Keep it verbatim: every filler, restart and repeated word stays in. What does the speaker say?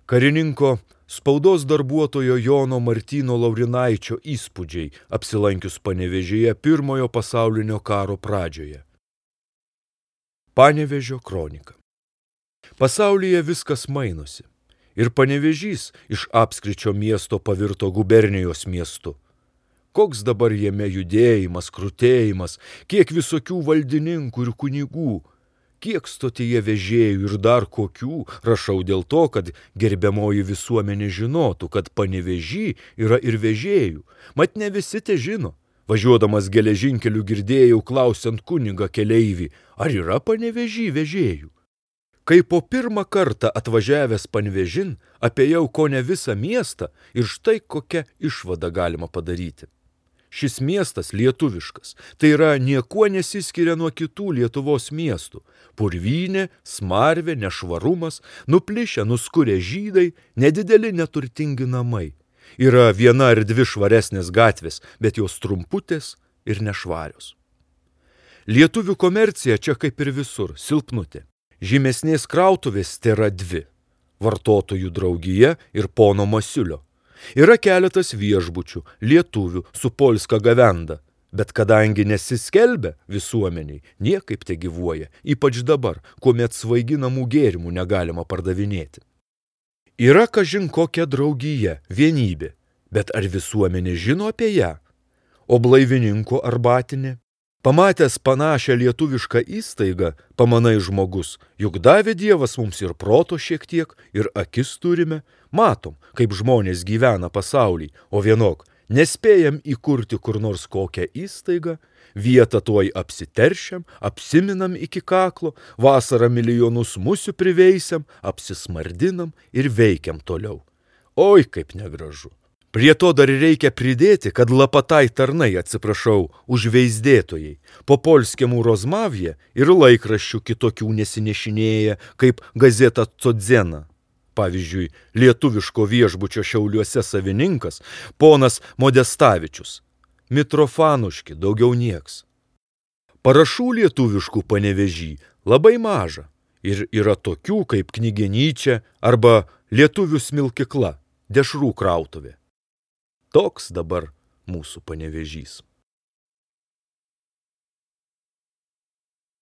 Karininko spaudos darbuotojo Jono Martyno Laurinaičio įspūdžiai apsilankius Panevėžyje pirmojo pasaulinio karo pradžioje. Panevėžio kronika. Pasaulyje viskas mainosi. Ir Panevėžys iš apskričio miesto pavirto gubernijos miestu. Koks dabar jame judėjimas, krutėjimas, kiek visokių valdininkų ir kunigų, kiek stotyje vežėjų ir dar kokių, rašau dėl to, kad gerbiamoji visuomenė žinotų, kad Panevėžy yra ir vežėjų, mat ne visi te žino. Važiuodamas geležinkeliu girdėjau klausiant kunigą keleivį, ar yra Panevėžy vežėjų. Kai po pirmą kartą atvažiavęs Panevėžin, apėjau kone visą miestą ir štai kokią išvadą galima padaryti. Šis miestas lietuviškas, tai yra niekuo nesiskiria nuo kitų Lietuvos miestų. Purvynė, smarvė, nešvarumas, nuplišę, nuskurę žydai, nedideli neturtingi namai. Yra viena ar dvi švaresnės gatvės, bet jos trumputės ir nešvarios. Lietuvių komercija čia kaip ir visur, silpnutė. Žymesnės krautuvės tėra dvi – vartotojų draugija ir pono Masiulio. Yra keletas viešbučių, lietuvių su polska gavenda, bet kadangi nesiskelbia visuomeniai, niekaip te gyvuoja, ypač dabar, kuomet svaiginamų gėrimų negalima pardavinėti. Yra kažin kokia draugija, vienybė, bet ar visuomenė žino apie ją? O blaivininko arbatinė? Pamatęs panašią lietuvišką įstaigą, pamanai žmogus, juk davė Dievas mums ir proto šiek tiek, ir akis turime, matom, kaip žmonės gyvena pasaulį, o vienok, nespėjam įkurti kur nors kokią įstaigą, vietą tuoj apsiteršiam, apsiminam iki kaklo, vasarą milijonus musių priveisiam, apsismardinam ir veikiam toliau. Oi, kaip negražu. Prie to dar reikia pridėti, kad lapatai tarnai, atsiprašau, užveisdėtojai, po polskiamų rozmavje ir laikraščių kitokių nesinešinėja, kaip gazeta Codzena. Pavyzdžiui, lietuviško viešbučio Šiauliuose savininkas, ponas Modestavičius. Mitrofanuški, daugiau nieks. Parašų lietuviškų Panevėžy labai maža ir yra tokių kaip Knygenyčia arba lietuvių smilkykla, dešrų krautuvė. Toks dabar mūsų Panevėžys.